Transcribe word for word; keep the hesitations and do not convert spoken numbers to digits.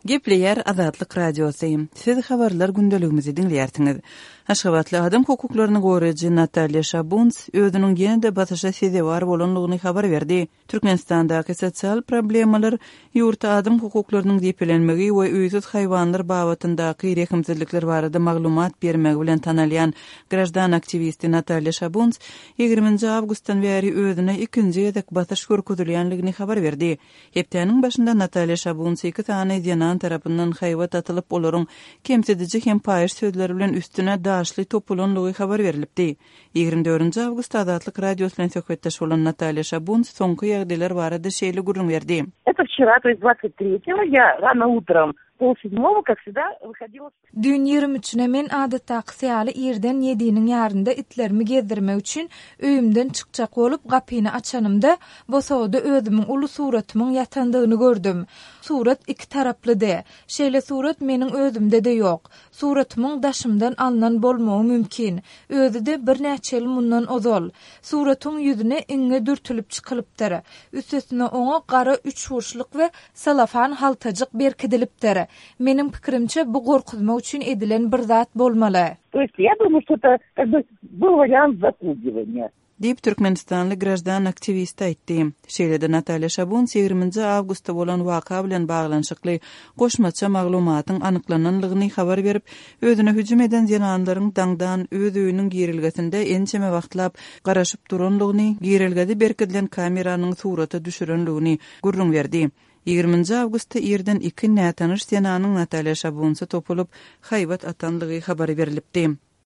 Gepleýär Azatlyk Radiosy. Siz habarlar gündeligimizi diňleýärsiňiz. Aşgabatly adam hukuklaryny goraýjy Natalýa Şabunts özüniň ýene-de basyşa sezewar bolandygyny habar berdi. Türkmenistandaky sosial problemalar, ýurtda adam hukuklarynyň depelenmegi we öýsüz haýwanlar babatyndaky rehimsizlikler barada maglumat bermegi bilen tanalýan graždan aktiwisti Natalýa Şabunts ýigriminji awgustdan bäri özüne ikinji gezek basyş görkezilýändigini habar berdi. Hepdäniň başynda Natalýa Şabunts iki sany zenan tarapyndan haýbat atylyp, olaryň kemsidiji hem paýyş sözleri bilen üstüne daşly topulandygy habar berlipdi. Ýigrimi dördünji awgustda Azatlyk Radiosy bilen söhbetdeş bolan Natalýa Şabunts soňky ýagdaýlar barada şeýle gürrüň berdi. Это вчера, то есть двадцать третьего, я рано утром, полседьмого, как всегда, выходила. Düýn ýigrimi üçüne men adatdakysy ýaly irden ýediniň ýarynda itlerimi gezdirmek üçin öýümden çykjak bolup gapyny açanymda, bosagada özümiň uly suratymyň ýatandygyny gördüm. Surat iki taraplydy. Şeýle surat meniň özümde-de ýok. Suratymyň daşymdan alnan bolmagy mümkin. Özi-de birnäçe ýyl mundan ozal. Suratyň ýüzüne iňňe dürtülip çykylypdyr. Üstesine oňa gara üçburçluk we salafan haltajyk berkidilipdir. Meniň pikirimçe, bu gorkuzmak üçin edilen bir zat bolmaly. То есть я думаю, что это как бы был вариант запугивания. Diýip, türkmenistanly graždan aktiwisti aýtdy. Şeýle-de Natalýa Şabunts ýigriminji awgustda bolan waka bilen baglanyşykly goşmaça maglumatyň anyklananlygyny habar berip, özüne hüjüm eden zenanlaryň daňdan öz öýüniň girelgesinde ençeme wagtlap garaşyp duranlygyny, girelgede berkidilen kameranyň surata düşürenligini gürrüň berdi. Ýigriminji awgustda irden iki nätanyş zenanyň Natalýa Şabuntsa topulyp, haýbat atanlygy habar berlipdi.